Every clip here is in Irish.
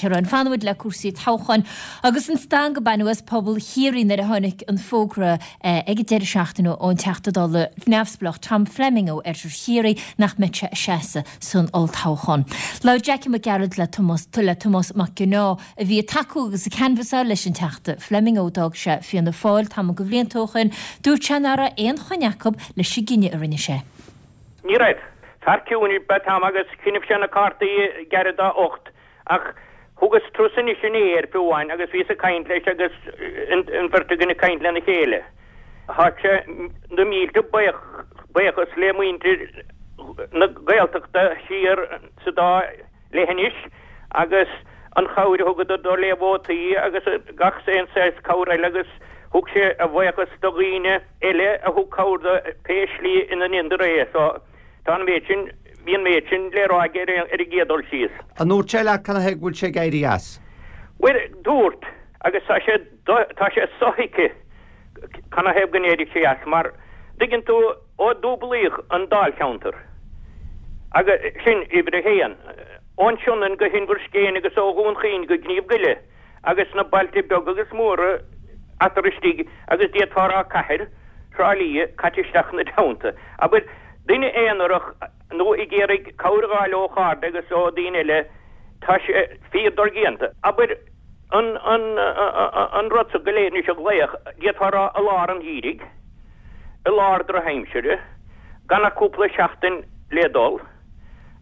Ciarán, Fanfaimid le cúrsaí toghcháin agus an stangadh a baineadh as pobal Chiarraí nuair a tháinig an fógra ag an deireadh seachtaine ón Teachta Dála neamhspleách Tom Fleming ó Oirthear Chiarraí nach mbeadh sé ag seasamh san olltoghchán. Labhair Jackie Mac Gearailt le Tomás le Tomás Mac Cionnaith a bhí ag tacú agus ag canbhasáil leis an Teachta Fleming ó d'fhág sé Fianna Fáil tamall de bhlianta ó shin. Dúirt sé nach raibh aon choinne acu leis an gcinneadh a rinne sé. Ní raibh. Fear ciúin ab ea Tom agus chinneadh sé na cártaí gairid dá ucht Ach thugas turas anois inné air fiú amháin agus bhíos ag caint leis agus an bheirt againn ag caint lena chéile. Tá sé na mílte buíochas le muintir na Gaeltachta siar sa dá leithinis agus an chabhair a thugadar dó le vótaí agus gach aon saghas cabhair eile agus thug sé a bhuíochas do dhaoine eile a thug cabhair dó pé slí ina ndéantar é. So. Tá an méid sin, bhí an méid sin le rá aige ar an gcéad dul síos. An ndúirt sé leat canathaobh go bhfuil sé ag éirí as? Bhuel, dúirt, agus tá sé, tá sé sothuigthe canathaobh go n-éirigh sé as, mar, dtuigeann tú, ó dúblaíodh an dáilcheantar, agus sin uimhir a haon, ón Sionainn go hInbhir Scéine agus ó Dhún Chaoin go Gníomh Goile agus na bailte beaga agus móra eatarthu istigh agus d'fhéadfá a rá cathair Thrá Lí caite isteach ina dteannta. Abair, duine aonarach nó ag iarraidh cabhair a fháil ó chairde agus ó daoine eile, tá sé fíor dodhéanta. Abair, an, an, an rud so go léir anois a ghlaoch, d'fhéadfá a rá i lár an gheimhridh, i lár drochaimsire, gan ach cúpla seachtain le dul.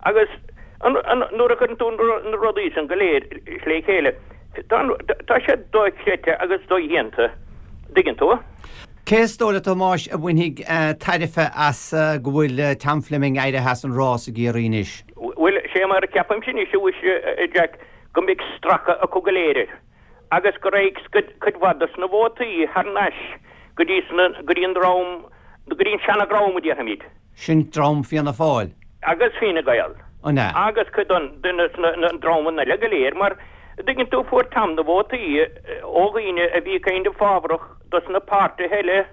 Agus nuair a chuireann tú na rudaí san go léir le chéile, tá sé dochreidte agus dodhéanta, dtuigeann tú. Cé is dóigh leat, a Thomáis, a bhainfidh tairbhe as go bhfuil Tom Fleming éirithe as an rás i gCiarraí anois? Bhuel, sé mar a ceapaimse anois, a mhuise, a Jack, go mbeidh stracadh acu go léir air agus go raghaidh cuid mhaith dos na vótaí thar n-ais go dtí go dtí an dream, go dtí an seana-dhream a déarfaimid. Sin dream Fianna Fáil. Agus Fine Gael. An ea? Agus cuid de na dreamanna eile go léir, mar, dtuigeann tú, fuair Tom na vótaí ó dhaoine a bhí kind of fábharach dos na páirtithe eile,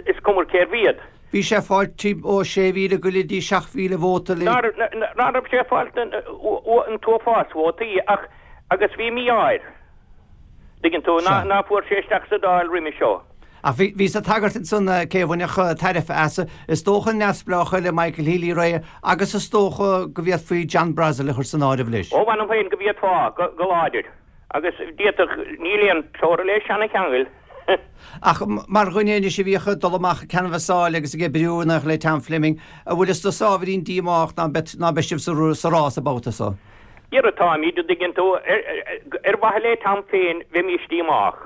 is cuma cérbh iad. Bhí sé ag fáil timpeall ó 6,000 go dtí 7,000 vóta le. Ná raibh sé ag fáil an t-uafás vótaí ach, agus bhí mí-ádh air, dtuigeann tú, ná fuair sé isteach sa Dáil roimhe seo. Ach bhíos ag tagairt ansan cé a bhainfeadh tairbhe as, is dócha an neamhspleách eile Michael Healy-Rae agus is dócha go bhféadfaí John Brassil a chur san áireamh leis. Ó mh'anam féin go bhféadfá, go láidir. Agus d'fhéadfadh, níl aon teora le seana-cheangail. Ach mar dhuine anois a bhíodh ag dul amach ag canbhasáil agus ag oibriú in éineacht le Tom Fleming, an bhfuil fhios duitse ábhairín díomách ná beidh sibh sa rás an babhta so? Dhera táimid, an dtuigeann tú, ar mhaithe le Tom féin bheimís díomách.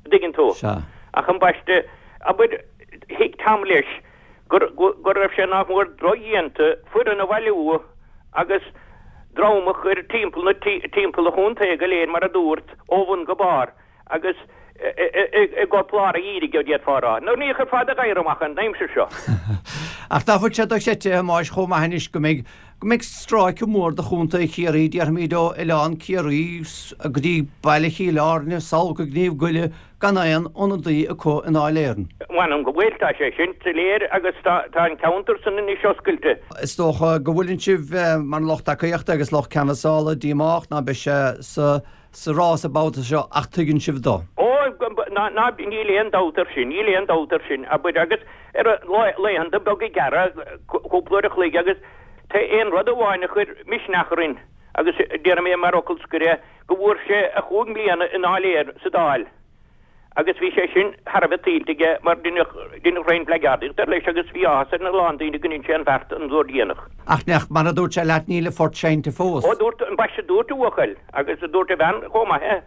dtuigeann tú. Sea. Ach ambaiste, abair, thuig Tom leis gur, go raibh sé nach mór dodhéanta foireann a bhailiú agus dream a chur timpeall na, timpeall an chontae go léir mar a dúrt, ó bhun go barr agus i gcorp lár an gheimhridh, d'fhéadfá a rá. Nó ní chuirfeá do ghadhar amach an aimsir seo. Ach nach bhfuil sé dochreidte, a Thomáis, chomh maith anois go mbeidh, go mbeidh stráice mór de Chontae Chiarraí, déarfaimid ó Oileán Ciarraí go dtí Baile Chill Airne, sall go Gníomh Goile, gan aon ionadaí acu i nDáil Éireann. M'anam go bhfuil, tá sé sin soiléir agus tá an ceantar san anois oscailte. Is dócha go bhfuileann sibh, mar lucht tacaíochta agus lucht canbhasála, díomách ná beidh sé sa sa rás an babhta seo ach tuigeann sibh dó. Ó, ná, ná, níl aon dabht air sin, níl aon dabht air sin, abair, agus ar laethanta beaga gearra, cúpla uair a chloig agus tá aon rud amháin a chuir misneach orainn agus déarfaidh mé mar fhocal scoir é, go bhfuair sé a chúig mbliana i nDáil Éireann, sa Dáil. Agus bhí sé sin thar a bheith tuillte aige mar deineadh roinnt blackguardaíocht air leis agus bhí áthas ar a lán daoine go ndein sé an bheart an uair dhéanach. Ach nach mar a dúirt sé leat níl an phort seinnte fós. Ó dúirt, ambaiste dúirt a bhuachaill agus dúirt a bhean chomh maith é.